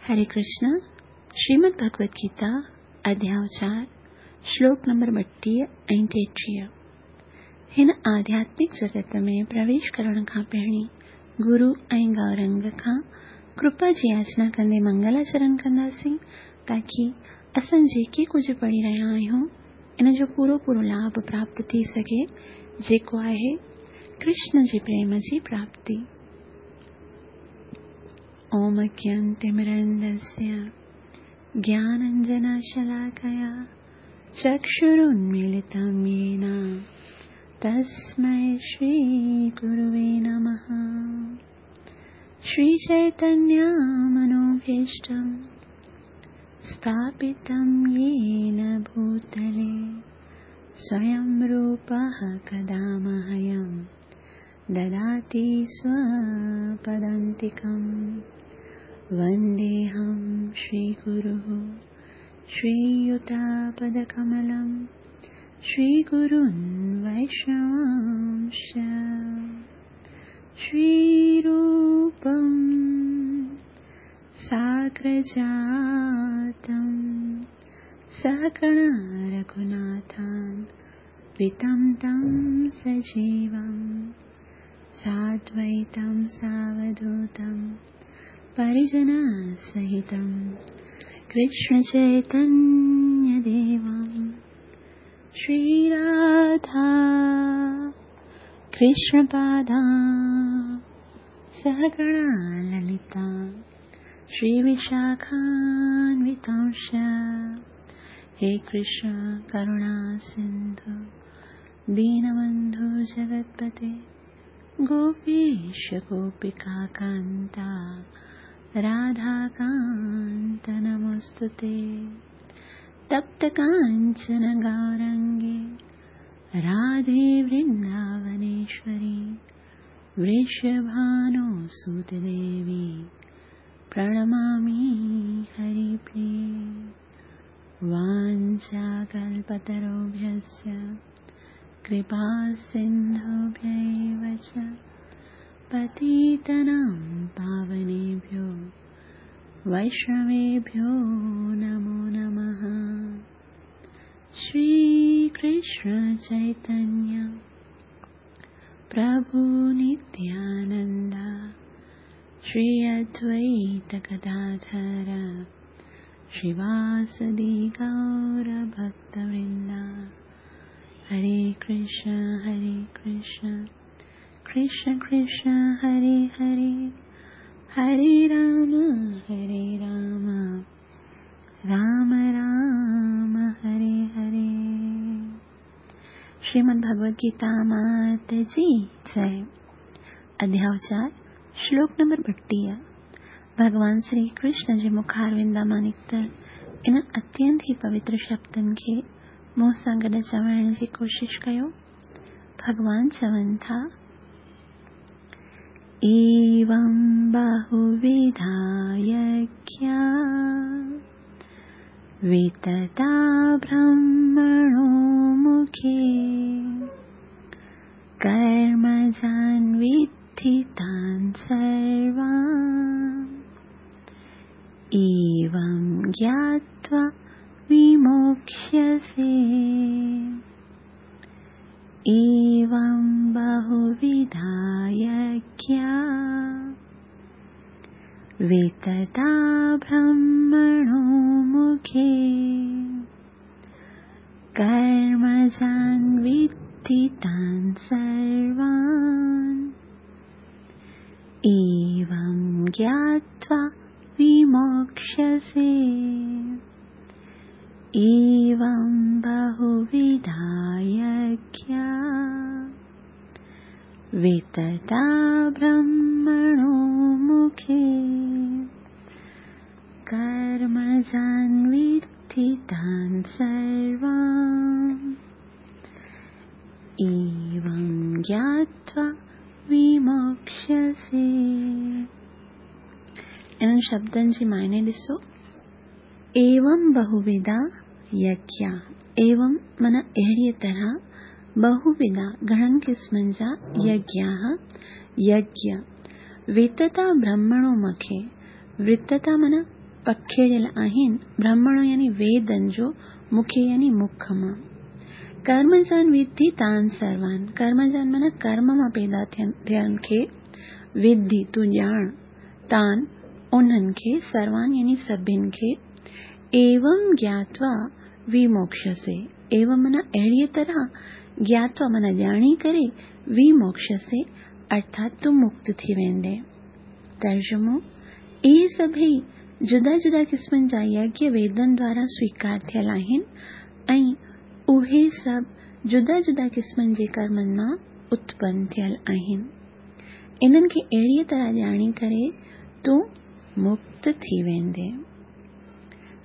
हरे कृष्ण। श्रीमद् भगवत गीता अध्याय 4 श्लोक नंबर 32 ऐं 33। हिन आध्यात्मिक जगत में प्रवेश करण खां पहिरीं गुरु ऐं गौरंग खां कृपा जी याचना कंदे मंगलाचरण कंदासीं ताकी असां जेके कुझु पढ़ी रहिया आहियूं इन जो पूरो पूरो लाभ प्राप्त थी सघे, जेको आहे कृष्ण जे प्रेम जी प्राप्ति। ओम अज्ञानतिमिरन्धस्य ज्ञानाञ्जनशलाकया चक्षुरुन्मीलितं येन तस्मै श्रीगुरुवे नमः। श्रीचैतन्यमनोभीष्टं स्थापितं येन भूतले स्वयं रूपः कदा मह्यं ददाति स्वपदान्तिकं। वन्देऽहं श्रीगुरुः श्रीयुतापदकमलं श्रीगुरुन् वैष्णवांश्च। श्रीरूपं साग्रजातं सहगण रघुनाथान्वितं तं सजीवं साद्वैतं सावधूतं परिजनसहितं कृष्णचैतन्यदेवं। श्रीराधा कृष्णपादा सहगणा ललिता श्रीविशाखान्वितांश्च। हे कृष्ण करुणा सिन्धु दीनबन्धु जगत्पते गोपीश गोपिकान्ता राधाकान्त नमोऽस्तुते। तप्त काञ्चन गौरङ्गे राधे वृन्दावनेश्वरी वृषभानुसुते देवी प्रणमामि हरिप्रिये। वाञ्छाकल्पतरुभ्यश्च कृपा सिन्धुभ्यैव च पतितानां पावनेभ्यो वैष्णवेभ्यो नमो नमः। श्रीकृष्ण चैतन्य प्रभु नित्यानन्द श्री अद्वैत गदाधर श्रीवासदि गौर भक्तवृन्द। हरे कृष्ण हरे कृष्ण कृष्ण कृष्ण हरे हरे, हरे राम राम राम हरे हरे। श्रीमद् भगवद गीता मात जी जय। अध्याय 4 श्लोक नंबर 32। भगवान श्री कृष्ण जे मुखारविंदा मां निकितल इन अत्यंत ई पवित्र शब्दनि खे मूं सां गॾु चवण जी कोशिश कयो। भगवान चवनि था, एवं बहुविधा यज्ञा वितता ब्रह्मणो मुखे कर्मजान् विद्धि तान् सर्वान् एवं ज्ञात्वा विमोक्ष्यसे। एवं बहुविधा यज्ञा वितता ब्रह्मणो मुखे कर्मजान् विद्धि तान् सर्वान् एवं ज्ञात्वा विमोक्ष्यसे। एवं बहुविधा यज्ञा वितता ब्रह्मणो मुखे कर्मजान् विद्धि तान् सर्वान् एवं ज्ञात्वा विमोक्ष्यसे। इन्हनि शब्दनि जी मायने ॾिसो। एवं बहुविधा यज्ञा, एवं माना अहिड़ीअ तरह, बहुविधा घणनि क़िस्मनि जा यज्ञाः, यज्ञ वितता ब्रह्मणो मुखे, वितता माना پکيڙيل آهن، برهمڻ يعني ويدن جو مکي يعني مک مان. ڪرمجان وڌي تان سروان، ڪرمجان معنيٰ ڪرم مان پيدا ٿيڻ کي، وڌي تون ڄاڻ، تان انهن کي، سروان يعني سڀن کي، ايوم گياتوا وموڪشسي، ايوم معنيٰ اهڙيء طرح، گياتوا معنيٰ ڄاڻي ڪري، وموڪشسي ارٿات تون مڪت ٿي ويندين. ترجمو، اهي سڀئي جدا جدا قسمن جا يگيه ويدن دوارا سويڪار ٿيل آهن ۽ اهي سڀ جدا جدا قسمن جي ڪرمن مان اتپن ٿيل آهن. انهن کي اهڙيء طرح ڄاڻي ڪري تون مڪت ٿي ويندين.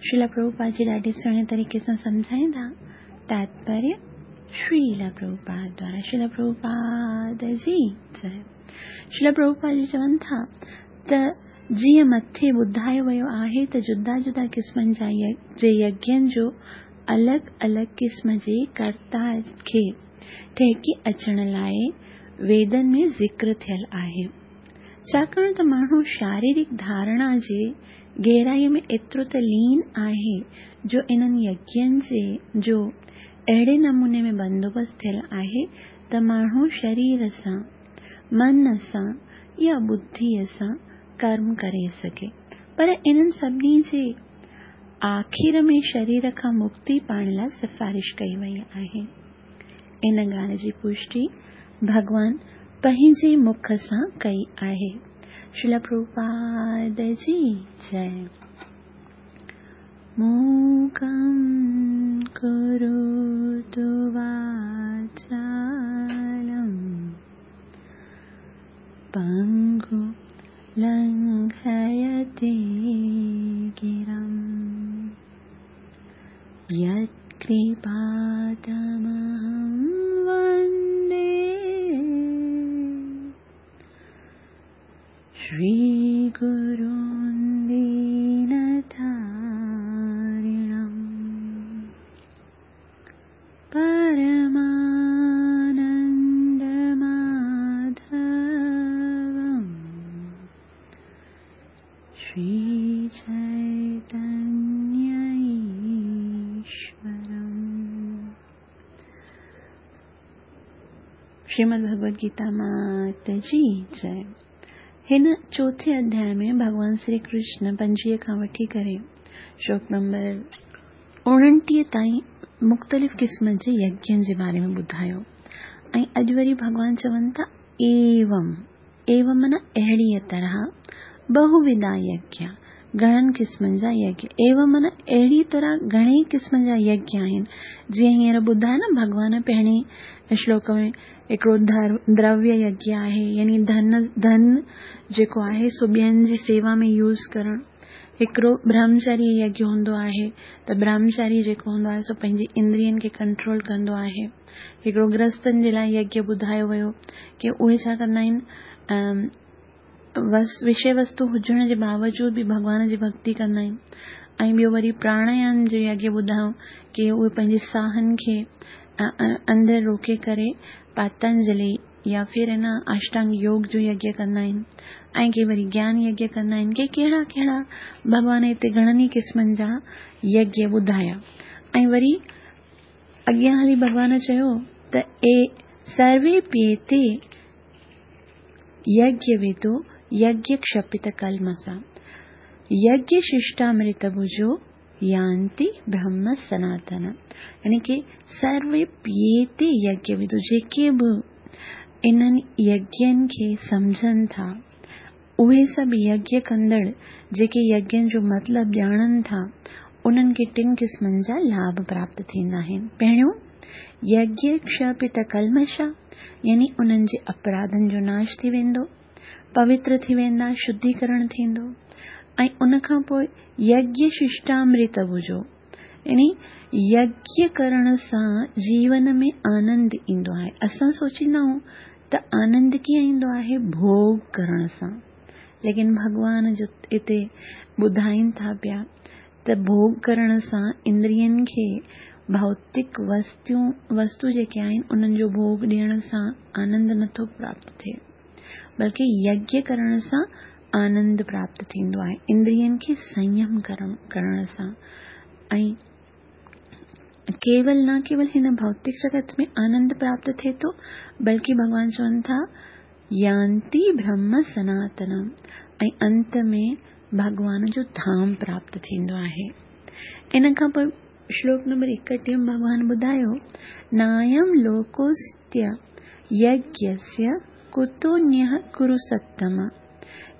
شريلا پرڀوپاد جي ڏاڍي سهڻي طريقي سان سمجهائيندا. تاتپريه شريلا پرڀوپاد دوارا شريلا پرڀوپاد جي جئه. شريلا پرڀوپاد جي چون ٿا ته جيئن مٿي ٻڌايو ويو آهي ته جدا جدا قسمن جا جي يگين جو الڳ الڳ قسم جي ڪرتا کي ٺهڪي اچڻ لاء ويدن ۾ ذڪر ٿيل آهي. ڇاڪاڻ ته ماڻهو شاريرڪ ڌارڻا جي گهرائيء ۾ ايترو ته لين آهي جو انهن يگين جي جو اهڙي نموني ۾ بندوبست ٿيل آهي ته ماڻهو شرير سان، من سان يا ٻڌيء سان ڪرم ڪري سگهي. پر انهن سڀني جي آخر ۾ شرير کان مڪتي پائڻ لاء سفارش ڪئي وئي آهي. ان ڳالهه جي پشٽي ڀڳوان پنهنجي مک سان ڪئي آهي. شريلا پرڀوپاد جي جئه. موڪم ڪروتو واچالم پنگو لنگهيتي گرم يتڪرپا تمهم وندي شري گرون دينتارڻم پرمانند ماڌوم شري چيتنيه ايشورم. شريمد ڀڳوت گيتا مات جي جئه. هن چوٿين اڌياء ۾ ڀڳوان سري ڪرشن 25 کان وٺي ڪري شلوڪ نمبر 29 تائين مختلف قسم جي يگين جي باري ۾ ٻڌايو ۽ اڄ وري ڀڳوان چون ٿا ايوم، ايوم معنيٰ اهڙيء طرح، بهوڌا يگيا، گهڻن قسمن جا يگيا، ايوم معنيٰ اهڙي طرح گهڻي قسمن جا يگيا آهن، جيئن هينئر ٻڌايو نه ڀڳوان پهرين شلوڪ ۾ هڪڙو درويه يگيا آهي يعني ڌن، ڌن جيڪو آهي سو ٻين جي سيوا ۾ يوز ڪرڻ. هڪڙو برهمچاريه يگيا هوندو آهي ته برهمچاري جيڪو هوندو آهي سو پنهنجي اندرين کي ڪنٽرول ڪندو آهي. هڪڙو گرهستن جي لاء يگيا ٻڌايو ويو ڪي اهي ڇا ڪندا آهن وشي وستو هجڻ جي باوجود به ڀڳوان جي ڀڳتي ڪندا آهن ۽ ٻيو وري پراڻايام جو يگيا ٻڌايو ڪي اهي پنهنجي ساهن کي اندر روڪي ڪري پاتنجلي يا ڦر ان اشٽانگ يوگ جو يگيا ڪندا آهن ۽ ڪي وري گيان يگيا ڪندا آهن ڪي ڪهڙا ڪهڙا ڀڳوان هتي گهڻن ئي قسمن جا يگيا ٻڌايا ۽ وري اڳيان هلي ڀڳوان چيو ته اي سروي پيتي يگيا ويدو يگيا ڪشپت ڪلمسا يگيا ششٽامرت ڀجو يانتي برهم سناتن يعني ڪي سروي پيتي يگيا ويدو جيڪي به انهن يگين کي سمجهن ٿا اهي سڀ يگيا ڪندڙ جيڪي يگين جو مطلب ڄاڻن ٿا انهن کي ٽن قسمن جا لاڀ پراپت ٿيندا آهن. پهريون، يگيا ڪشپت ڪلمشا يعني انهن جي اپراڌن جو ناش ٿي ويندو، پوتر ٿي ويندا، شڌيڪرڻ ٿيندو ۽ ان کان پوء يگيا ششٽامرت ڀجو يعني يگيا ڪرڻ سان جيون ۾ آنند ايندو آهي. اسان سوچيندا آهيون ته آنند ڪيئن ايندو آهي؟ ڀوڳ ڪرڻ سان. ليڪن ڀڳوان جو اتي ٻڌائين ٿا پيا ته ڀوڳ ڪرڻ سان اندرين کي ڀوتڪ وستو جيڪي آهن انهن جو ڀوڳ ڏيڻ سان آنند نٿو پراپت ٿئي بلڪه يگيا ڪرڻ سان آنند پراپت ٿيندو آهي اندرين کي سنيم ڪرڻ سان ۽ ڪيول نه ڪيول هن ڀوتڪ جڳت ۾ آنند پراپت ٿئي ٿو بلڪه ڀڳوان چون ٿا يانتي برهم سناتنم ۽ انت ۾ ڀڳوان جو ڌام پراپت ٿيندو آهي. ان کان پوء شلوڪ نمبر 31 ۾ ڀڳوان ٻڌايو، نايم لوڪوستي يگيسيه ڪتونيه ڪرو ستم،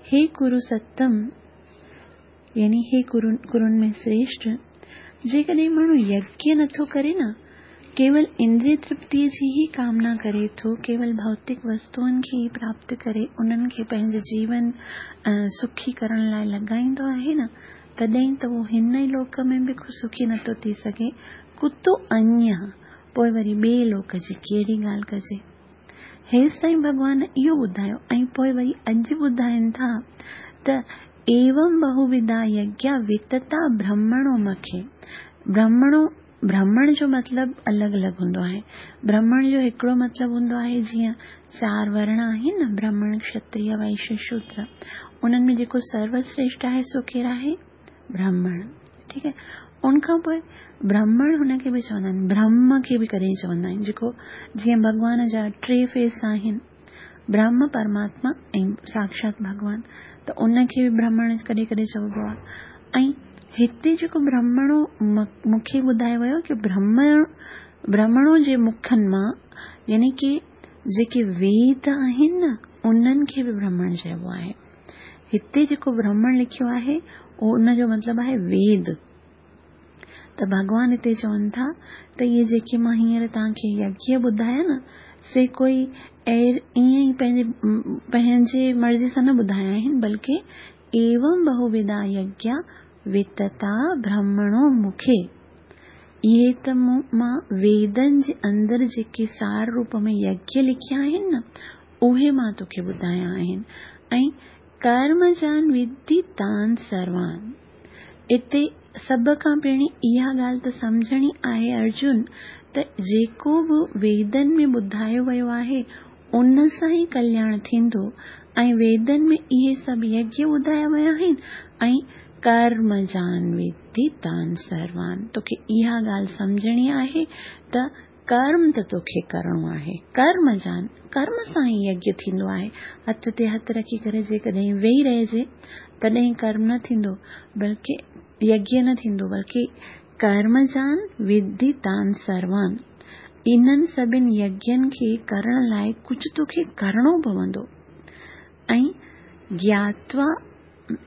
هي ڪرو ستم يعني هي ڪرن ۾ سريشٽ، جيڪڏهن ماڻهو يگيه نٿو ڪري نه، ڪيول اندريه ترپتيء جي ئي ڪامنا ڪري ٿو، ڪيول ڀوتڪ وستوئن کي ئي پراپت ڪري انهن کي پنهنجي جيون سکي ڪرڻ لاء لڳائيندو آهي نه، تڏهن ته اهو هن ئي لوڪ ۾ به سکي نٿو ٿي سگهي، ڪتو انيه، پوء وري ٻئي لوڪ جي ڪهڙي ڳالهه ڪجي. هيستائين ڀڳوان اهو ٻڌايو ۽ پوء وري اڄ ٻڌائين ٿا ته ايوم بهوڌا يگيا وتتا برهمڻو مکي، برهمڻو، برهمڻ جو مطلب الڳ الڳ هوندو آهي. برهمڻ جو هڪڙو مطلب هوندو آهي جيئن چار ورڻ آهن نه برهمڻ، کشتريه، وئشيه، شودر. انهن ۾ جيڪو سروسريشٽ آهي سو ڪير آهي؟ برهمڻ. ٺيڪ آهي. ان کان پوء برهمڻ هن کي به چوندا آهن، برهم کي به ڪڏهن چوندا آهن جيڪو جيئن ڀڳوان جا ٽي فيس آهن، برهم، پرماتما ۽ ساڪشات ڀڳوان ته ان کي به برهمڻ ڪڏهن ڪڏهن چئبو آهي ۽ هتي جيڪو برهمڻو مون کي ٻڌايو ويو ڪي برهمڻ برهمڻو جي مکن مان يعني ڪي جيڪي ويد آهن نه انهن کي به برهمڻ چئبو آهي. هتي جيڪو برهمڻ لکيو آهي اهو ان جو مطلب آهي ويد. ته ڀڳوان هتي چون ٿا ته اهي جيڪي مان هينئر توهان کي يگيه ٻڌايا نه سي ڪوئي ائين ئي پنهنجي پنهنجي مرضي سان نه ٻڌايا آهن بلڪه ايوم بهوڌا يگيا وتتا برهمڻو مکي اهي ته مون مان ويدن جي اندر جيڪي سار روپ ۾ يگيه لکيا آهن نه اهي مان توکي ٻڌايا آهن ۽ ڪرمجان وڌي تان سروان. اتي سڀ کان پهرين اها ڳالهه ته سمجهڻي آهي ارجن ته جيڪو به ويدن ۾ ٻڌايو ويو آهي ان سان ئي ڪلياڻ ٿيندو ۽ ويدن ۾ اهي سڀ يگيه ٻڌايا ويا آهن ۽ ڪرمجان وڌي تان سروان. توکي اها ڳالهه سمجهڻي آهي ته ڪرم ته توکي ڪرڻو آهي. ڪرم جان، ڪرم سان ئي يگيه ٿيندو آهي. هٿ تي هٿ رکي ڪري جيڪڏهن ويهي رهجي، تڏهن ڪرم نه ٿيندو، بلڪه يگيه نه ٿيندو، بلڪه ڪرم جان وڌي تان سروان. انهن سڀن يگين کي ڪرڻ لاء ڪجهه توکي ڪرڻو پوندو. ۽ گياتوا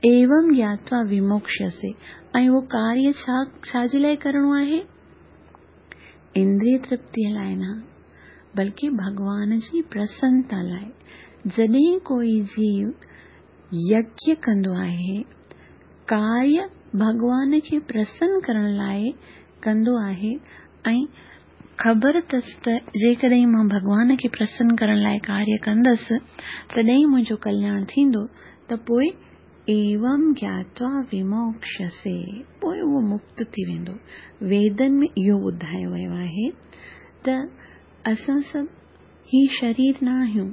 ايوم گياتوا وموڪشسي ۽ اهو ڪاريه ڇا ڇا جي لاء ڪرڻو آهي؟ اندريه ترپتيء لاء نه، بلڪه ڀڳوان جي پرسنتا لاء. جڏهن ڪوئي جيو يگيه ڪندو آهي، ڪاريه ڀڳوان کي پرسن ڪرڻ لاء ڪندو آهي ۽ خبر اٿس ته جيڪڏهن مان ڀڳوان کي پرسن ڪرڻ لاء ڪاريه ڪندس، تڏهن منهنجو ڪلياڻ ٿيندو ته پوء ايوم گياتوا وموڪشسي، پوء اهو مڪت ٿي ويندو. ويدن ۾ اهو ٻڌايو ويو آهي ته اسان سڀ هي شرير نه آهيون.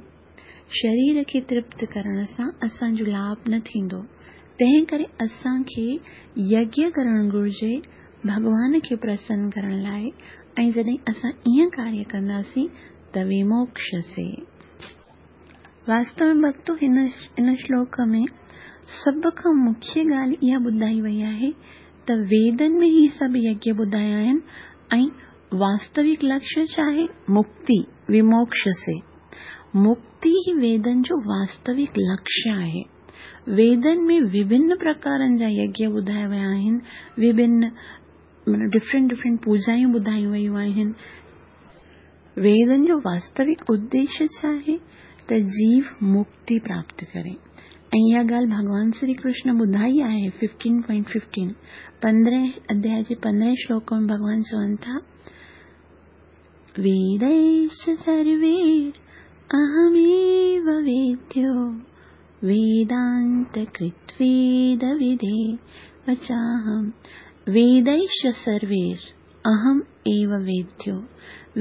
شرير کي ترپت ڪرڻ سان اسان جو لاڀ نه ٿيندو. تنهن ڪري اسان کي يگيه ڪرڻ گهرجي ڀڳوان کي پرسن ڪرڻ لاء ۽ جڏهن اسان ائين ڪاريه ڪنداسين ته وموڪشسي. واستو ۾ ڀڳتو هن ان شلوڪ ۾ سڀ کان مکيه ڳالهه اها ٻڌائي وئي آهي ته ويدن ۾ هي سڀ يگيه ٻڌايا آهن ۽ واستوڪ لڪشيه ڇا آهي؟ مڪتي، وموڪشسي. مڪتي ئي ويدن جو واستوڪ لڪشيه آهي. ويدن ۾ وڀن پرڪارن جا يگيه ٻڌايا ويا آهن، وڀن معنيٰ ڊفرنٽ ڊفرنٽ پوڄائون ٻڌايون ويون آهن. ويدن جو واستوڪ اديشيه ڇا آهي ته جيو مڪتي پراپت ڪري ۽ اها ڳالهه ڀڳوان شري ڪرشن ٻڌائي آهي 15.15 پندرهين اڌياء جي پندرهين شلوڪ ۾ ڀڳوان چون ٿا ويديش سروير اهميو ويديو ويدانت ڪرت ويد ودي وچاهم ويديش سروير اهم ايو ويديو،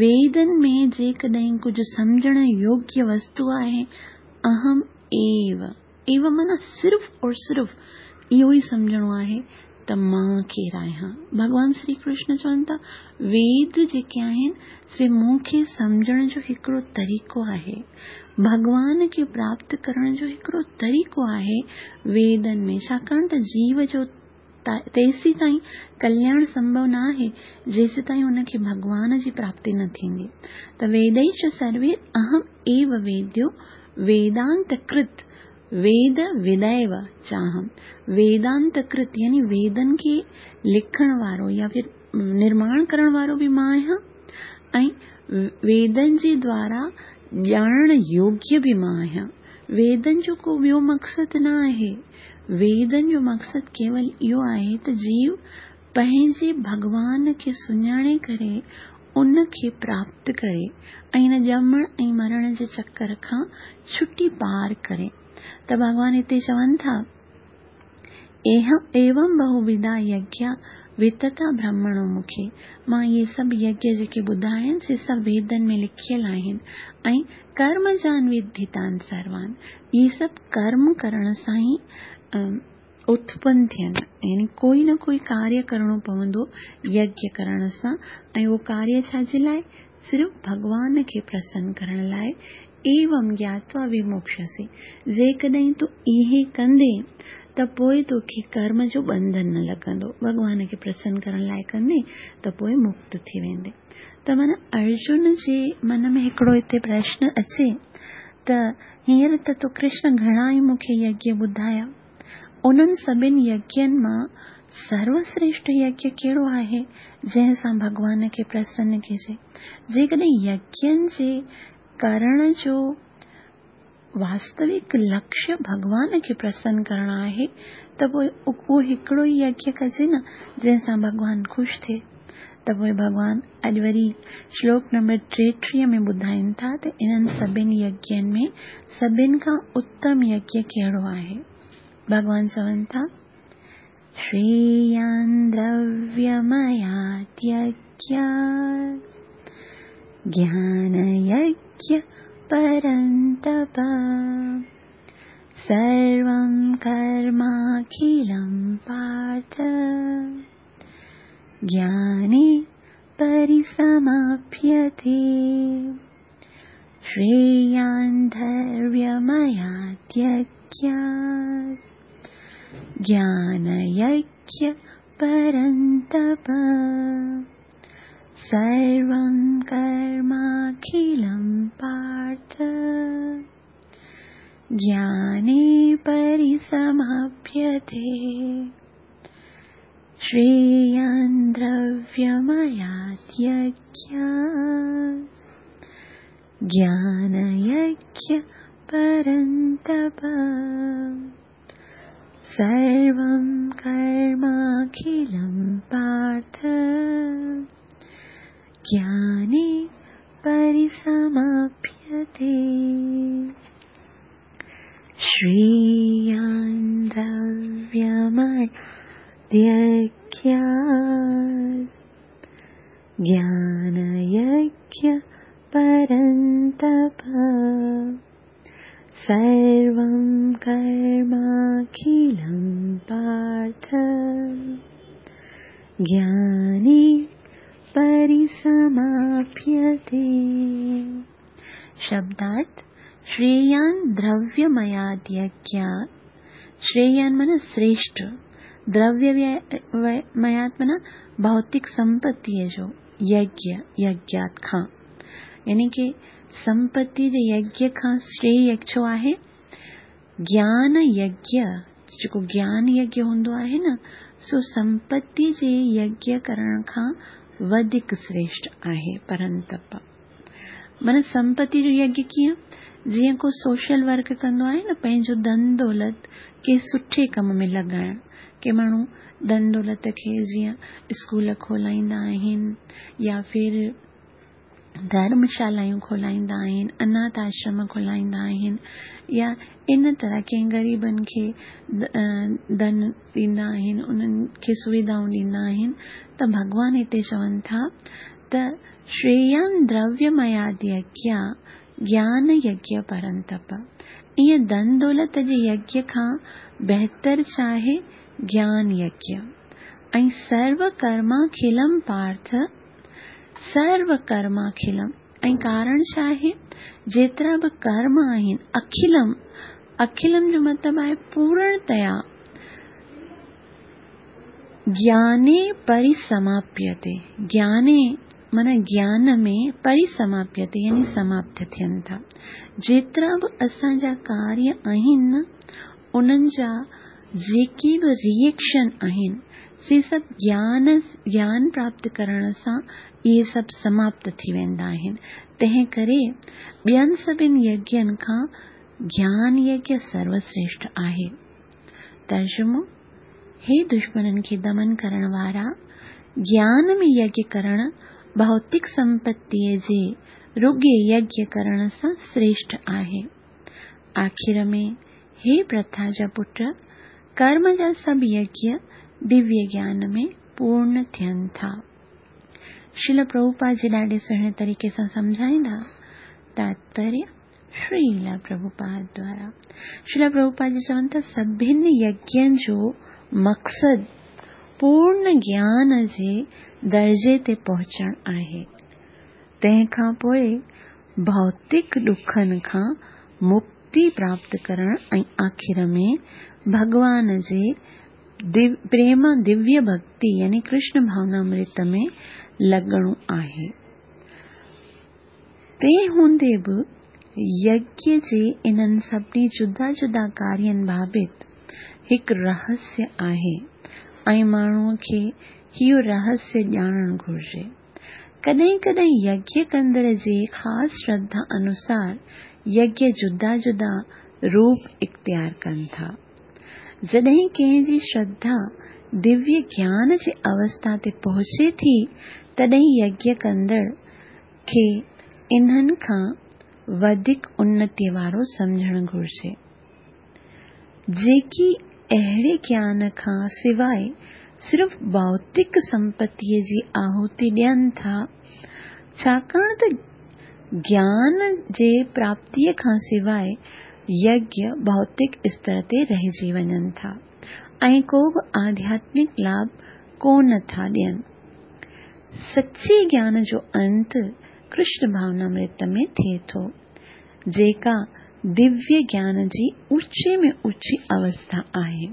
ويدن ۾ جيڪڏهن ڪجهه سمجهڻ يوگيه وستو آهي، اهم ايو. ايوم معنيٰ صرف اور صرف اهو ئي سمجهڻو آهي ته مان ڪير آهيان. ڀڳوان شري ڪرشن چون ٿا، ويد جيڪي آهن سي مون کي سمجهڻ جو هڪڙو طريقو آهي. ڀڳوان کي پراپت ڪرڻ جو هڪڙو طريقو آهي ويدن ۾، ڇاڪاڻ ته جيو جو تيسيتائين ڪلياڻ سنڀو نه آهي جيسيتائين ان کي ڀڳوان جي پراپتي نه ٿيندي. ته ويدئي سروي اهم ايو ويديو ويدانت ڪرت ويد ودئيو چاهم. ويدانت ڪرت يعني ويدن کي لکڻ وارو يا ڦر نرماڻ ڪرڻ وارو به مان آهيان ۽ ويدن جي دوارا ڄاڻڻ يوگيه به مان آهيان. ويدن جو ڪو ٻيو مقصد نه آهي. ويدن جو مقصد ڪيول اهو آهي ته جيو پنهنجي ڀڳوان کي سڃاڻي ڪري ان کي پراپت ڪري ۽ هن ڄمڻ ۽ مرڻ جي چڪر کان ڇٽي پار ڪري. ته ڀڳوان هتي چون ٿا، ايوم بهوڌا يگيا وتتا برهمڻو مکي، مان اهي سڀ يگيه جيڪي ٻڌايا آهن سي سڀ ويدن ۾ لکيل آهن ۽ ڪرم جان وڌيتان سروان، اهي سڀ ڪرم ڪرڻ سان ئي اتپن ٿين، يعني ڪوئي نه ڪوئي ڪاريه ڪرڻو پوندو يگيه ڪرڻ سان ۽ اهو ڪاريه ڇا جي لاء؟ صرف ڀڳوان کي پرسن ڪرڻ لاء. ايوم گياتوا وموڪشسي، جيڪڏهن تون اهي ڪندين ته پوء توکي ڪرم جو ٻنڌن نه لڳندو، ڀڳوان کي پرسن ڪرڻ لاء ڪندين ته پوء مڪت ٿي ويندين. ته معنيٰ ارجن جي من ۾ هڪڙو هتي پرشن اچي ته هينئر ته تو ڪرشن گهڻا ئي مون کي يگيه ٻڌايا، انهن سڀن يگين مان سروشريشٺ يگيه ڪهڙو آهي جنهن سان ڀڳوان کي پرسن ڪجي؟ جيڪڏهن يگين جي ڪرڻ جو واستوڪ لڪشيه ڀڳوان کي پرسن ڪرڻ آهي ته پوء اهو هڪڙو ئي يگيه ڪجي نه جنهن سان ڀڳوان خوش ٿئي. ته پوء ڀڳوان اڄ وري شلوڪ نمبر 33 ۾ ٻڌائين ٿا ته انهن سڀن يگين ۾ سڀن کان اتم يگيه ڪهڙو آهي؟ ڀڳوان چون ٿا، شريان درويميات يگيات گيان يگيه پرنتپ سروم ڪرماکلم پارٿ گياني پرسماپيتي. شريان درويميات يگيات گيان يگيه پرنتپ سروم ڪرماکلم پارٿ گياني پرسماپيتي. شريان درويميات يگيات گيان يگيه پرنتپ سروم ڪرماکلم پارٿ گياني پرسماپيتي. شريان درويميات يگيات گيان يگيه پرنتپ سروم ڪرماکلم پارٿ گياني پرسماپيتي. شبدارٿ، شريان درويميات يگيات، شريان معنيٰ شريشٺ، درويميات معنيٰ ڀوتڪ سمپتيء جو، يگيه، يگيات کان، يعني ڪي سمپتي جي يگيه کان شريه ڇو آهي؟ گيان يگيه، جيڪو گيان يگيه هوندو آهي نه، سو سمپتي جي يگيه ڪرڻ کان وڌيڪ شريشٺ آهي. پرنتپ معنيٰ سمپتي جو يگيه ڪيئن؟ جيئن ڪو سوشل ورڪ ڪندو آهي نه، پنهنجو ڌن دولت ڪنهن سٺي ڪم ۾ لڳائڻ. ڪي ماڻهو ڌن دولت کي جيئن اسڪول کولائيندا آهن يا ڦر ڌرمشالائون کولائيندا آهن، اناٿ آشرم کولائيندا آهن يا ان طرح ڪنهن غريبن کي ڌن ڏيندا آهن، انهن کي سويڌائون ڏيندا آهن ته ڀڳوان هتي چون ٿا ته شريان درويمياد يگيا گيان يگيه پرنتپ. ائين ڌن دولت جي يگيه کان بهتر ڇا آهي؟ گيان يگيه. ۽ سرو ڪرماکلم پارٿ، سرو ڪرماکلم، ۽ ڪارڻ ڇا آهي؟ جيترا به ڪرم آهن، اکلم، اکلم جو مطلب آهي پورڻتيا، گياني پرسماپيتي، گياني معنيٰ گيان ۾ پرسماپيتي يعني سماپت ٿين ٿا. جيترا به اسان جا ڪاريه آهن انهن جا جيڪي به ري ايڪشن آهن سي سڀ گيان گيان پراپت ڪرڻ سان اهي سڀ سماپت ٿي ويندا آهن. تنهن ڪري ٻين سڀن يگين کان گيان يگيه سروسريشٺ آهي. ترجمو، هي دشمنن کي دمن ڪرڻ وارا، گيان ۾ يگيه ڪرڻ ڀوتڪ سمپتيء جي رڳي يگيه ڪرڻ سان سريشٺ آهي. آخر ۾، هي پرٿا جا پٽ، ڪرم جا سڀ يگيه دويه گيان ۾ پورن ٿين ٿا. شريل پرڀوپاد جي ڏاڍي سهڻي طريقي سان سمجهائيندا. تاتپريه، شريل پرڀوپاد دوارا. شريل پرڀوپاد جي چون ٿا سڀن يگين جو مقصد پورن گيان جي درجي تي پهچڻ آهي. تنهن کان پوء ڀوتڪ ڏکن کان مڪتي پراپت ڪرڻ ۽ آخر ۾ ڀڳوان جي پريم دويه ڀڳتي يعني ڪرشن ڀاونامرت ۾ لڳڻو آهي. تنهن هوندي به يگيه جي انهن سڀني جدا جدا ڪارين بابت هڪ رهسيه آهي ۽ ماڻهوء کي اهو رهسيه ڄاڻڻ گهرجي. ڪڏهن ڪڏهن يگيه ڪندڙ جي خاص شرڌا انوسار يگيه جدا جدا روپ اختيار ڪن ٿا. جڏهن ڪنهن جي شرڌا دويه گيان جي اوسٿا تي پهچي ٿي تڏهن يگيه ڪندڙ کي انهن کان وڌيڪ انتيء وارو سمجهڻ گهرجي. جيڪي اهڙي گيان کان سواء صرف ڀوتڪ سمپتيء جي آهوتي ڏين ٿا، ڇاڪاڻ ته گيان جي پراپتيء کان سواء يگيه ڀوتڪ استر تي رهجي وڃن ٿا ۽ ڪو به آڌياتمڪ لاڀ ڪونه ٿا ڏين. سچي گيان جو انت ڪرشن ڀاونامرت ۾ ٿئي ٿو. جيڪا دويه گيان جي اوچي ۾ اوچي اوسٿا آهي.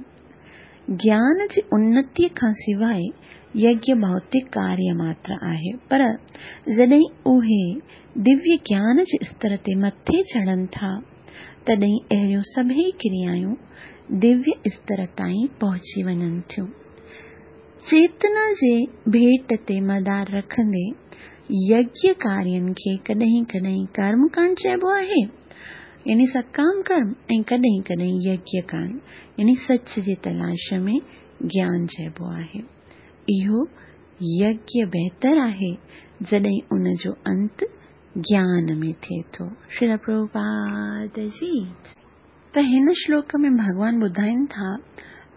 گيان جي انتيء کان سواء يگيه ڀوتڪ ڪاريه ماتر آهي، پر جڏهن اهي دويه گيان جي استر تي مٿي چڙهن ٿا، تڏهن اهڙيون سڀئي ڪريائون دويه استر تائين پهچي وڃن ٿيون. چيتنا جي ڀيٽ تي مدار رکندي يگيه ڪارين کي ڪڏهن ڪڏهن ڪرم ڪانڊ چئبو آهي، يعني سڪام ڪرم ۽ ڪڏهن ڪڏهن يگيه ڪانڊ يعني سچ جي تلاش ۾ گيان چئبو آهي. اهو يگيه بهتر آهي جڏهن ان جو انت گيان ۾ ٿئي ٿو. شريل پرڀوپاد جي. ته هن شلوڪ ۾ ڀڳوان ٻڌائين ٿا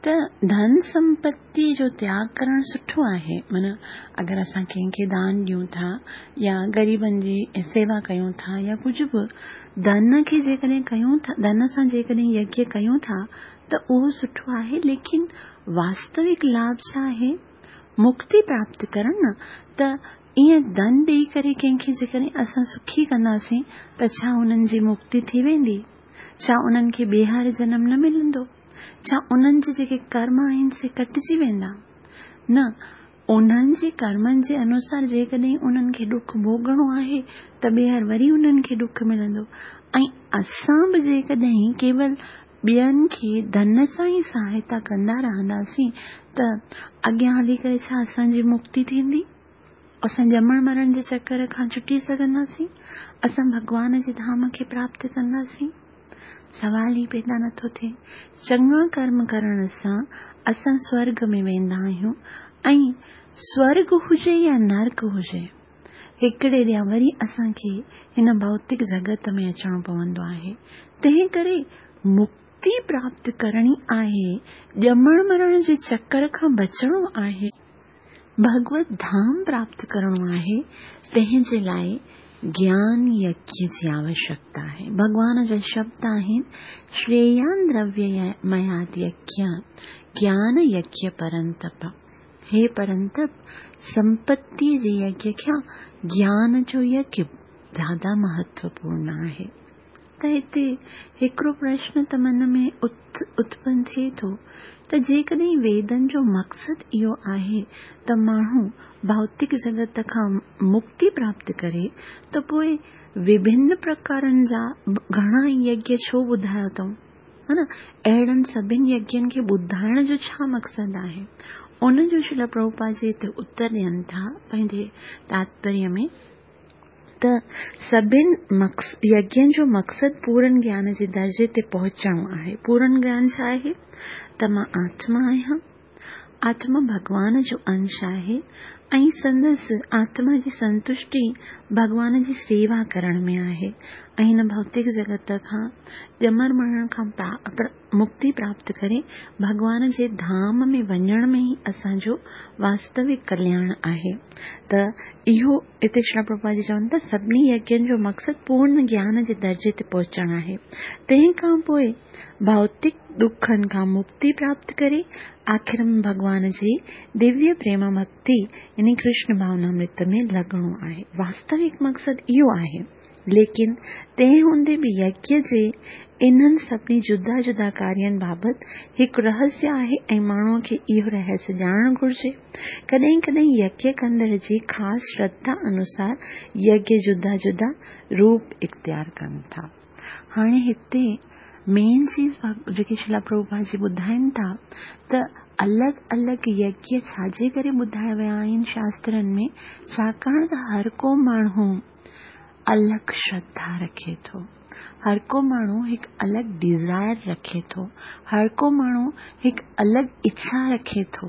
ته ڌن سمپتي جو تياڳ ڪرڻ سٺو آهي معنيٰ اگر اسان ڪنهن کي دان ڏيون ٿا يا غريبن جي سيوا ڪيون ٿا يا ڪجهه به ڌن کي جيڪڏهن ڪيون ٿا ڌن سان جيڪڏهن يگيه ڪيون ٿا ته اهو سٺو آهي ليڪن واستوڪ لاڀ ڇا آهي مڪتي پراپت ڪرڻ نه ته ائين ڌن ڏيئي ڪري ڪنهن کي جيڪڏهن اسان سکي ڪنداسين ته ڇا انهن جي مڪتي ٿي ويندي؟ ڇا انهن کي ٻيهر جنم نه ملندو؟ ڇا انهن جي جيڪي ڪرم آهن سي ڪٽجي ويندا؟ نه، انهن جي ڪرمن جي انوسار جيڪڏهن انهن کي ڏک ڀوڳڻو آهي ته ٻيهر وري انهن کي ڏک ملندو ۽ اسان به جيڪڏهن ڪيول ٻين کي ڌن سان ئي سهائتا ڪندا رهنداسين ته اڳيان هلي ڪري ڇا اسان جي مڪتي ٿيندي؟ اسان ڄمڻ مرڻ جي چڪر کان ڇٽي سگهنداسين؟ اسان ڀڳوان جي ڌام کي پراپت ڪنداسين؟ سوال ئي پيدا نٿو ٿئي. چڱا ڪرم ڪرڻ سان اسان سورڳ ۾ ويندا آهيون ۽ سورڳ هجي يا نرڪ هجي، هڪڙي ڏينهن وري اسان کي هن ڀوتڪ جڳت ۾ اچڻو پوندو آهي. تنهن ڪري مڪتي پراپت ڪرڻي آهي، ڄمڻ مرڻ جي چڪر کان بچڻو آهي. ڀڳوت ڌام پراپت ڪرڻو آهي، تنهن جي لاء گيان يگيه جي آوشيڪتا آهي. ڀڳوان جا شبد آهن، شريان درويه مياد يگيه، گيان يگيه پرنتپ. هي پرنتپ، سمپتيء جي يگيه کان گيان جو يگيه زياده مهتوپورڻ آهي. ته هتي هڪڙو پرشن ته من ۾ اتپن ٿئي ٿو ته جيڪڏهن ويدن جو مقصد اهو آهي ته ماڻهو ڀوتڪ جڳت کان مڪتي پراپت ڪري ته پوء وڀن پرڪارن جا گهڻا يگيه ڇو ٻڌايا اٿئون؟ ها نه اهڙن سڀن يگين کي ٻڌائڻ جو ڇا مقصد آهي؟ ان جو شريل پرڀوپاد جي هتي اتر ڏين ٿا پنهنجي تاتپريه ۾ ته سڀن يگين جو مقصد پورن گيان جي درجي تي پهچڻو آهي. پورن گيان ڇا آهي؟ ته مان آتما آهيان، آتما ڀڳوان جو انش آهي ۽ سندس آتما جي سنتشٽي ڀڳوان جي سيوا ڪرڻ ۾ آهي ۽ هن ڀوتڪ جڳت کان ڄمڻ مرڻ کان مڪتي پراپت ڪري ڀڳوان جي ڌام ۾ وڃڻ ۾ ئي اسان جو واستوڪ ڪلياڻ آهي ته اهو هتي شريل پرڀوپاد جي چون ٿا سڀني يگين جو مقصد پورن گيان جي درجي تي پهچڻ آهي تنهن کان پوء ڀوتڪ ڏکن کان مڪتي پراپت ڪري آخر ۾ ڀڳوان جي دويه پريم ڀڳتي يعني ڪرشن ڀاونامرت ۾ لڳڻو آهي واستوڪ مقصد اهو آهي. ليڪن تنهن هوندي به يگيه جي انهن سڀني جدا جدا ڪارين بابت هڪ رهسيه آهي ۽ ماڻهوء کي اهو رهسيه ڄاڻڻ گهرجي. ڪڏهن ڪڏهن يگيه ڪندڙ جي خاص شرڌا انوسار يگيه جدا جدا روپ اختيار ڪن ٿا. هاڻي هتي مين چيز جيڪي شريلا پرڀوپاد جي ٻڌائين ٿا ته الڳ الڳ يگيه ڇا جي ڪري ٻڌايا ويا آهن شاسترن ۾ ڇاڪاڻ ته هر ڪو ماڻهو الڳ شرڌا رکي ٿو. هر ڪو ماڻهو هڪ الڳ ڊيزائر رکي ٿو. هر ڪو ماڻهو هڪ الڳ اڇا رکي ٿو.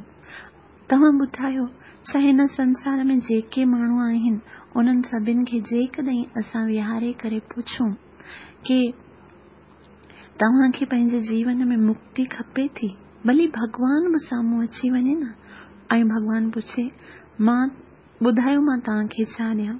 توهان ٻڌايو ڇا هن سنسار ۾ جيڪي ماڻهو آهن انهن سڀن کي جيڪڏهن اسان ويهاري ڪري پڇون ڪي توهان کي پنهنجي جيون ۾ مڪتي کپي ٿي؟ ڀلي ڀڳوان به سامهون اچي وڃي نه ۽ ڀڳوان پڇي مان ٻڌايو مان توهان کي ڇا ڏيان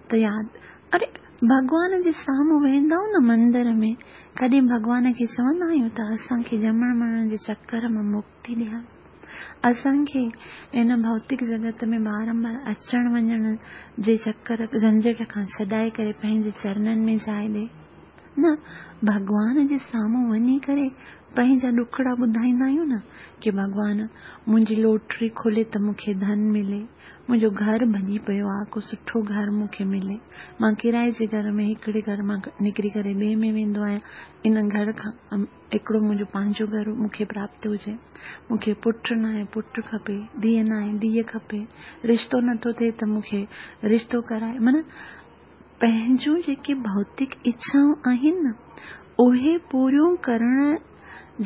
ته ياد اري ڀڳوان جي سامهون ويهندا آهيون نه مندر ۾ ڪڏهن ڀڳوان کي چوندا آهيون ته اسان کي ڄمڻ مرڻ جي چڪر مان مڪتي ڏيار اسان کي هن ڀوتڪ جڳت ۾ بارمبار اچڻ وڃڻ جي چڪر جهنجهٽ کان ڇڏائي ڪري پنهنجي چرنن ۾ جاء ڏي نه ڀڳوان جي سامهون وڃي ڪري پنهنجا ڏکڙا ٻڌائيندا آهيون نه ڪي ڀڳوان منهنجي لوٽري کولي ته مون کي ڌن ملي، منهنجو گهر ڀڄي پيو آ، ڪو سٺو گهر مون کي ملي، مان ڪرائي جي گهر ۾ هڪڙي گهر مان نڪري ڪري ٻئي ۾ ويندو آهيان، ان گهر کان هڪڙو منهنجو پنهنجو گهر مون کي پراپت هجي، مون کي پٽ ناهي پٽ کپي، ڌيء ناهي ڌيء کپي، رشتو نٿو ٿئي ته مون کي رشتو ڪرائي معنيٰ پنهنجون جيڪي ڀوتڪ اڇائون آهن نه اهي پوريون ڪرڻ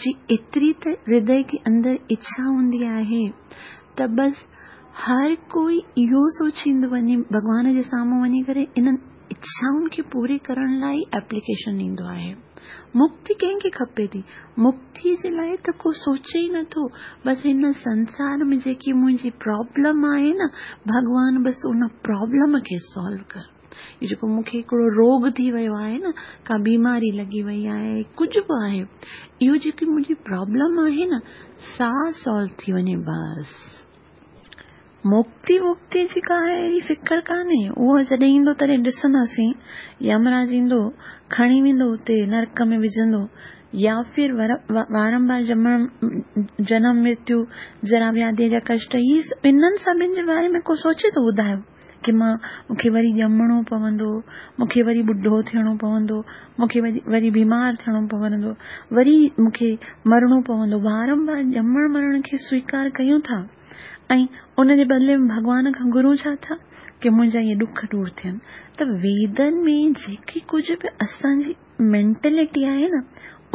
جي ايتري ته هردي جي اندر اڇا هوندي آهي ته بس هر ڪوئي اهو سوچيندو وڃي ڀڳوان جي سامهون وڃي ڪري انهن اڇائن کي پوري ڪرڻ لاء ئي ايپليڪيشن ڏيندو آهي. مڪتي ڪنهن کي کپي ٿي؟ مڪتي جي لاء ته ڪو سوچي ئي نٿو. بس هن سنسار ۾ جيڪي منهنجي پرابلم آهي نه ڀڳوان بس ان پرابلم کي سالو ڪر. هي جيڪو مون کي هڪڙو روڳ ٿي ويو آهي نه، ڪا بيماري لڳي وئي آهي، ڪجهه به آهي، اهو جيڪي منهنجي پرابلم آهي نه، سا سالو ٿي وڃي بس. مڪتي وڪتي جي ڪا اهڙي فڪر ڪانهي، اهو جڏهن ايندو تڏهن ڏسنداسين، يمراج ايندو، کڻي ويندو اتي نرڪ ۾ وجهندو، يا ڦر وارمبار ڄمڻ، جنم مرتيو، جرا وياڌيء جا ڪشٽ، هي انهن سڀن جي باري ۾ ڪو سوچي ٿو ٻڌايو ڪي مان مون کي وري ڄمڻو پوندو، مون کي وري ٻڍو ٿيڻو پوندو، مون کي وري بيمار ٿيڻو پوندو، وري مون کي مرڻو پوندو، وارمبار ڄمڻ مرڻ کي سويڪار ڪيون ٿا. ۽ ان جي بدلي ۾ ڀڳوان کان گهرون ڇا ٿا ڪي منهنجا اهي ڏک دور ٿين ته ويدن ۾ جيڪي ڪجهه به اسان جي مينٽلٽي آهي نه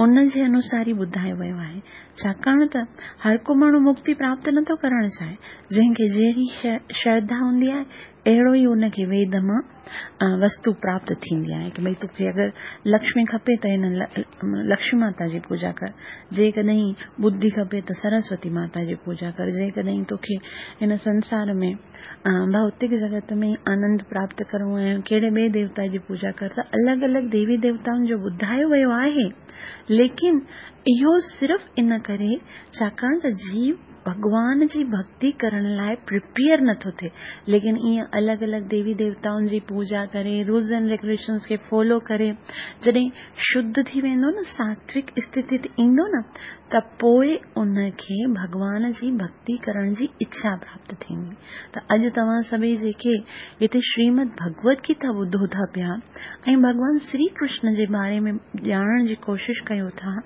ان جي انوسار ئي ٻڌايو ويو آهي. ڇاڪاڻ ته هر ڪو ماڻهو مڪتي پراپت نٿو ڪرڻ چاهي. جنهن کي جهڙي شرڌا هوندي آهي، اهڙو ئي ان کي ويد مان وستو پراپت ٿيندي آهي ڪه ڀئي توکي اگر لڪشمي کپي ته هن لڪشمي ماتا جي پوڄا ڪر، جيڪڏهن ٻڌي کپي ته سرسوتي ماتا جي پوڄا ڪر، جيڪڏهن توکي هن سنسار ۾ ڀوتڪ جڳت ۾ آنند پراپت ڪرڻو آهي ڪهڙي ٻئي ديوتا جي پوڄا ڪر ته الڳ الڳ ديوي ديوتائن جو ٻڌايو ويو آهي ليڪن اهو صرف ان ڪري ڇاڪاڻ ته جيو ڀڳوان جي ڀڳتي ڪرڻ لاء پريپيئر نٿو ٿئي ليڪن ائين الڳ الڳ ديوي ديوتائن جي پوڄا ڪري رولز اينڊ ريگوليشنز کي فالو ڪري جڏهن شڌ ٿي ويندو نه ساتوڪ اسٿتي تي ايندو نه ته پوء ان کي ڀڳوان جي ڀڳتي ڪرڻ جي اڇا پراپت ٿيندي ته اڄ توهان سڀئي جيڪي هتي شريمد ڀڳوت گيتا ٻڌو ٿا پيا ۽ ڀڳوان شري ڪرشن جي باري ۾ ڄاڻڻ جي ڪوشش ڪيو ٿا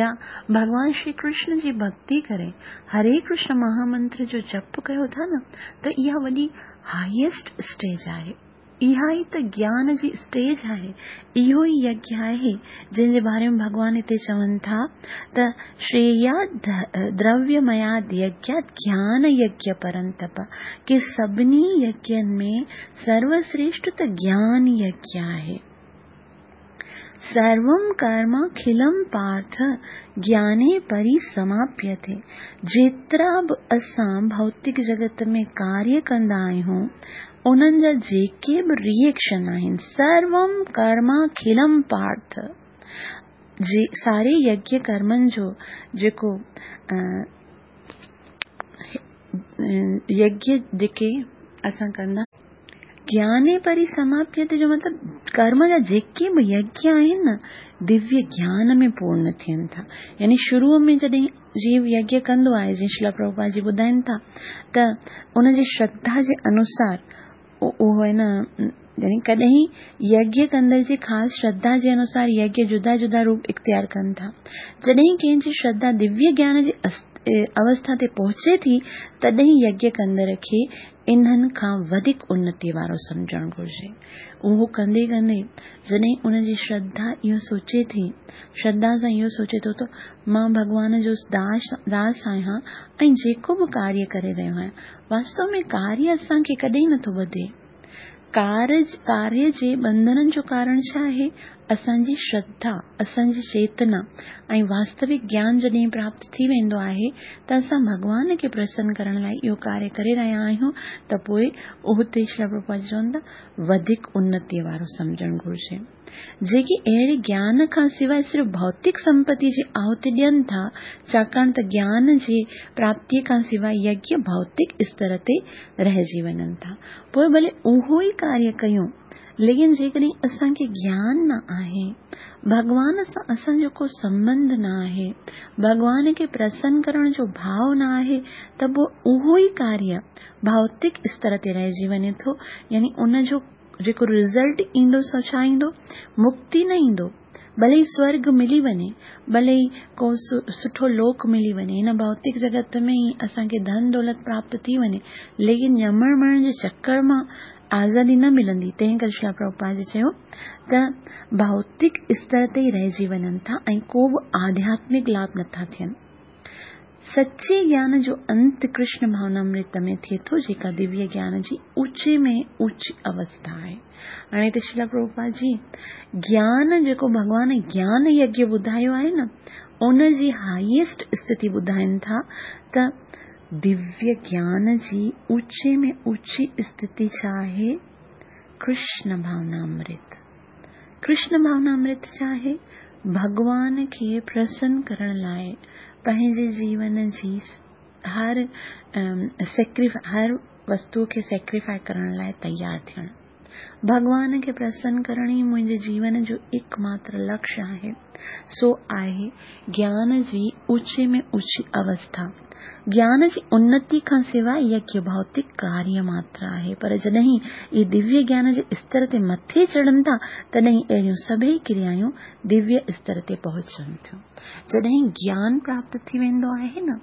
يا ڀڳوان شري ڪرشن جي ڀڳتي ڪري هري ڪرشن مهامنتر جو جپ ڪيو ٿا نه ته اها وڏي هائيسٽ اسٽيج آهي. اها ئي ته گيان جي اسٽيج آهي، اهو ئي يگيه آهي، جنهن جي باري ۾ ڀڳوان هتي چون ٿا ته شريياد درويمياد يگيات گيان يگيه پرنتپ ڪي سڀني يگين ۾ سروسريشٽ ته گيان يگيه آهي. سروم ڪرماکلم پارٿ گياني پري سماپيتي جيترا به اسان ڀوتڪ جڳت ۾ ڪاريه ڪندا آهيون انهن جا جيڪي به ري ايڪشن آهن سروم ڪرماکلم پارٿ جي ساري يگيه ڪرمن جو جيڪو يگيه جيڪي اسان ڪندا گياني پري سماپيت جو مطلب ڪرم جا جيڪي به يگيه آهن نه دويه گيان ۾ پورن ٿين ٿا يعني شروع ۾ جڏهن جيو يگيه ڪندو آهي جيئن شريلا پرڀوپاد جي ٻڌائين ٿا ته ان جي شرڌا جي انوسار اهو آهي نه يعني ڪڏهن يگيه ڪندڙ جي خاص شرڌا جي انوسار يگيه جدا جدا روپ اختيار ڪن ٿا جڏهن ڪنهن جي شرڌا دويه گيان جي اوسٿا تي پهچي ٿي تڏهن يگيه ڪندڙ کي انهن کان وڌيڪ انتي وارو سمجهڻ گهرجي. اهو ڪندي ڪندي جڏهن ان جي شرڌا اهو سوچي ٿي، شرڌا سان اهو سوچي ٿو ته مان ڀڳوان جو داس داس آهيان ۽ جيڪو به ڪاريه ڪري رهيو آهيان، واستو ۾ ڪاريه اسان کي ڪڏهن نٿو ٻڌي. ڪارج، ڪاريه جي ٻنڌنن جو ڪارڻ ڇا آهي؟ اسان جي شرڌا، اسان جي چيتنا ۽ واستوڪ گيان جڏهن پراپت ٿي ويندو آهي ته اسان ڀڳوان کي پرسن ڪرڻ لاء اهو ڪاريه ڪري رهيا آهيون ته پوء اهتي شريلا پرڀوپاد چون ٿا وڌيڪ انتيء وارو سمجهڻ گهرجي. جيڪي اهڙي گيان کان سواء صرف ڀوتڪ سمپتيء جي آهوتي ڏين ٿا، ڇاڪاڻ ته گيان جي پراپتيء کان سواء يگيه ڀوتڪ استر تي رهجي وڃن ٿا. پوء ڀلي اهو ئي ڪاريه ڪيون، ليڪن جيڪڏهن اسان کي گيان نه آهي، ڀڳوان سان اسان جو ڪو سنٻنڌ نه آهي، ڀڳوان کي پرسن ڪرڻ جو ڀاء نه آهي ته پوء اهو ئي ڪاريه ڀوتڪ استر تي رهجي وڃي ٿو، يعني ان جو جيڪو رزلٽ ايندو سو ڇا ايندو؟ مڪتي نه ايندو. ڀلي ئي سورڳ ملي وڃي، ڀلي ئي ڪو سٺو لوڪ ملي وڃي، هن ڀوتڪ جڳت ۾ ئي اسان کي ڌن دولت پراپت ٿي وڃي، ليڪن ڄمڻ مرڻ جي چڪر مان آزادي نه ملندي. تنهن ڪري شريلا پرڀوپاد جي چيو ته ڀوتڪ استر تي ئي رهجي وڃن ٿا ۽ ڪو به آڌياتمڪ لاڀ نٿا ٿين. سچي گيان جو انت ڪرشن ڀاونامرت ۾ ٿئي ٿو جيڪا دويه گيان جي اوچي ۾ اوچي اوسٿا آهي. هاڻي هتي شريلا پرڀوپاد جي گيان جيڪو ڀڳوان گيان يگيه ٻڌايو آهي نه ان جي هائيسٽ اسٿتي ٻڌائين ٿا ته دويه گيان جي اوچي ۾ اوچي اسٿتي ڇا آهي؟ ڪرشن ڀاونامرت. ڪرشن ڀاونامرت ڇا آهي؟ ڀڳوان کي پرسن ڪرڻ لاء پنهنجي جيون جي هر هر وستو کي سيڪريفائي ڪرڻ لاء تيار ٿيڻ. ڀڳوان کي پرسن ڪرڻ ئي منهنجي جيون جو ايڪ ماتر لڪش آهي. سو آهي گيان جي اوچي ۾ اوچي اوسٿا. گيان جي انتي کان سواء يگيه ڀوتڪ ڪاريه ماتر آهي، پر جڏهن اهي دويه گيان جي استر تي مٿي چڙهن ٿا، تڏهن اهڙيون سڀئي ڪريايون دويه استر تي پهچن ٿيون. جڏهن گيان پراپت ٿي ويندو آهي نه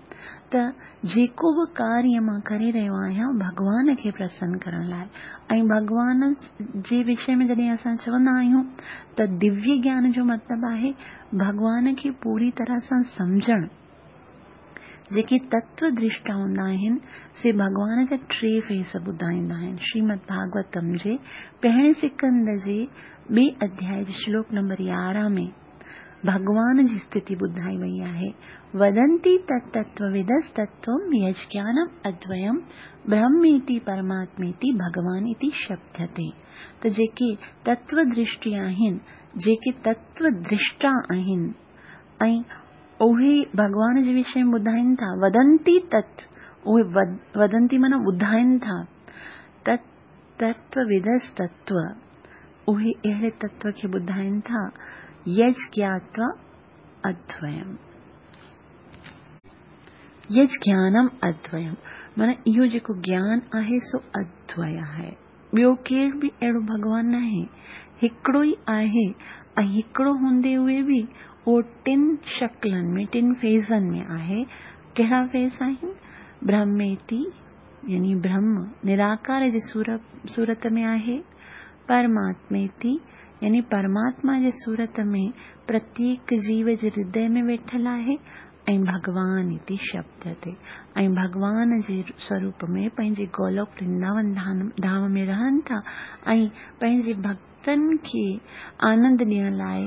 ته جيڪو به ڪاريه مان ڪري رهيو آهيان ڀڳوان کي پرسن ڪرڻ لاء ۽ ڀڳوان جي وشي ۾ جڏهن اسان چوندا آهيون ته دويه گيان جو مطلب آهي ڀڳوان کي پوري طرح سان سمجهڻ. جيڪي تتو درشٽا هوندا آهن، سي ڀڳوان جا ٽي فيس ٻڌائيندا آهن. شريمد ڀاڳوتم جي پهرين سڪنڌ جي ٻئي اڌياء جي شلوڪ نمبر 11 ۾ ڀڳوان جي اسٿتي ٻڌائي وئي آهي، ودنتي تتتوودستتوم يجگيانم ادويم برهميتي پرماتميتي ڀڳوان اتي شبديتي. ته جيڪي تتو درشٽي آهن، جيڪي تتو درشٽا آهن ۽ اهي ڀڳوان جي وشي ۾ ٻڌائين ٿا، ودنتي تت، اهي ودنتي معنيٰ ٻڌائين ٿا، تت تتوودستتو، اهي اهڙي تتو کي ٻڌائين ٿا، يجگياتوا ادويم. يجگيانم ادويم معنيٰ اهو جيڪو گيان آهي سو ادوي آهي. ٻيو ڪير به اهڙو ڀڳوان ناهي. هڪڙو ئي آهي ۽ هڪڙو هوندي هوئي به اهو ٽن شڪلن ۾، ٽن فيزن ۾ آهي. ڪهڙا فيز آهن؟ برهميتي يعني برهم نراڪار جي صورت ۾ آهي. پرماتميتي يعني پرماتما جي صورت ۾ پرتيڪ جيو جي هردي ۾ ويٺل آهي ۽ ڀڳوان اتي شبد تي ۽ ڀڳوان جي سوروپ ۾ پنهنجي گولوڪ ورنداون ڌام ۾ رهن ٿا ۽ پنهنجي ڀڳتن کي آنند ڏيڻ لاء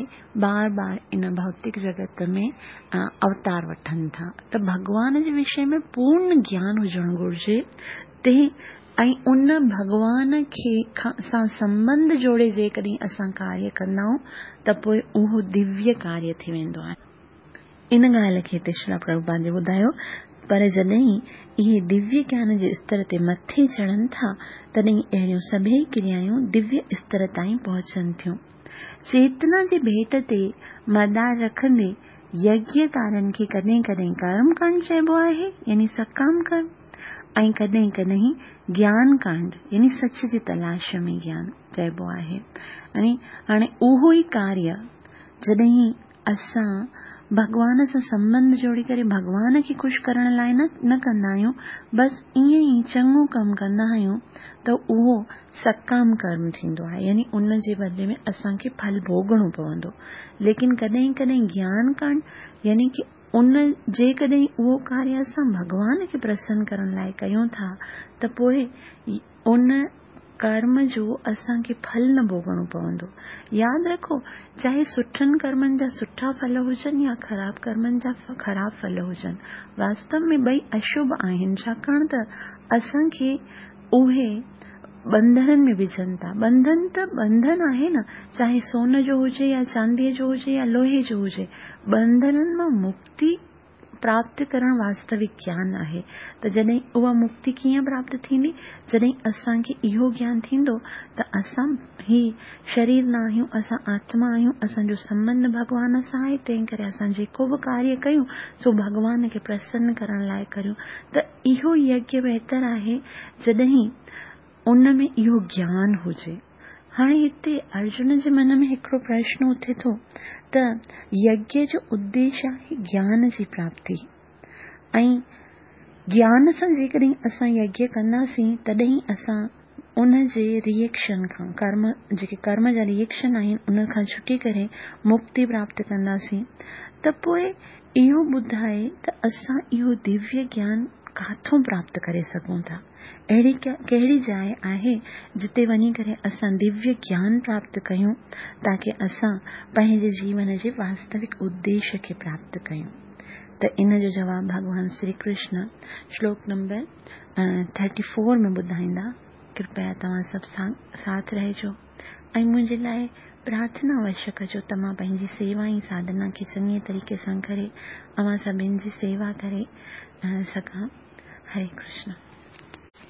بار بار ان ڀوتڪ جڳت ۾ اوتار وٺن ٿا ته ڀڳوان جي وشي ۾ پورن گيان هجڻ گهرجي تنهن ۽ ان ڀڳوان کي سان سنٻنڌ جوڙي جيڪڏهن اسان ڪاريه ڪندائون ته پوء اهو دويه ڪاريه ٿي ويندو آهي. ان ڳالهه کي هتي شريلا پرڀوپاد جي ٻڌايو، پر جڏهن اهي دويه گيان جي استر تي مٿي چڙهن ٿا، تڏهن اهڙيون سڀيئي ڪريائون دويه استر تائين پهچن ٿيون. چيتنا جي ڀيٽ تي مدار رکندي يگيه ڪارين کي ڪڏهن ڪڏهن ڪرم ڪانڊ چئبو آهي، يعني سڪام ڪرم، ۽ ڪڏهن ڪڏهن گيان ڪانڊ، يعني سچ جي تلاش ۾ گيان، چئبو آهي. يعني هاڻي اهو ئي ڪاريه جڏهن اسان ڀڳوان سان سنٻنڌ جوڙي ڪري ڀڳوان کي خوش ڪرڻ لاء نه نه ڪندا آهيون، بس ائين ئي چڱو ڪم ڪندا آهيون ته اهو سڪام ڪرم ٿيندو آهي يعني ان جي بدلي ۾ اسان کي ڦل ڀوڳڻو پوندو. ليڪن ڪڏهن ڪڏهن گيان ڪانڊ يعني ڪه ان جيڪڏهن اهو ڪاريه اسان ڀڳوان کي پرسن ڪرڻ لاء ڪيون ٿا ته پوء ان ڪرم جو اسان کي ڦل نه ڀوڳڻو پوندو. ياد رکو، چاهي سٺن ڪرمن جا سٺا ڦل هجن يا خراب ڪرمن جا خراب ڦل هجن، واستو ۾ ٻئي اشڀ آهن، ڇاڪاڻ ته اسان کي اهي ٻنڌڻن ۾ وجهن ٿا. ٻنڌن ته ٻنڌن آهي نه، چاهي سون جو هجي يا چانديء جو هجي يا لوهي جو هجي، ٻنڌڻن مان مڪتي پراپت ڪرڻ واستوڪ گيان آهي ته جڏهن اها مڪتي ڪيئن پراپت ٿيندي؟ جڏهن اسان کي اهو گيان ٿيندو ته اسان هي شرير نه آهيون، اسان آتما آهيون، اسان جو سنٻنڌ ڀڳوان سان آهي، تنهن ڪري اسان جيڪو به ڪاريه ڪيون سو ڀڳوان کي پرسن ڪرڻ لاء ڪريون ته اهو يگيه بهتر آهي جڏهن ان ۾ اهو گيان هجي. هاڻي هتي ارجن جي من ۾ هڪڙو پرشن اٿي ٿو ته يگيه جو اديش آهي گيان جي پراپتي ۽ گيان سان جيڪڏهن اسان يگيه ڪنداسين تڏهن اسان ان جي ري ايڪشن کان ڪرم جيڪي ڪرم جا ري ايڪشن آهن ان کان ڇٽي ڪري مڪتي پراپت ڪنداسين ته پوء اهو ٻڌائي ته اسان اهو دويه گيان ڪاٿون پراپت ڪري سگهون ٿا؟ اهڙي ڪهڙي جاء آهي جتي وڃي ڪري اسان دويه گيان پراپت ڪيون تاڪه اسان پنهنجي جيون جي واستوڪ اديش کي پراپت ڪيون؟ ته ان جو جواب ڀڳوان شري ڪرشن شلوڪ نمبر ٿرٽي فور ۾ ٻڌائيندا. ڪرپيا توهان سڀ ساٿ رهجو ۽ منهنجي لاء پرارٿنا اوشيه ڪجو ته مان پنهنجي سيوا ۽ ساڌنا کي چڱي طريقي سان ڪري اوهان سڀن جي سيوا ڪري سگهان. هري ڪرشن.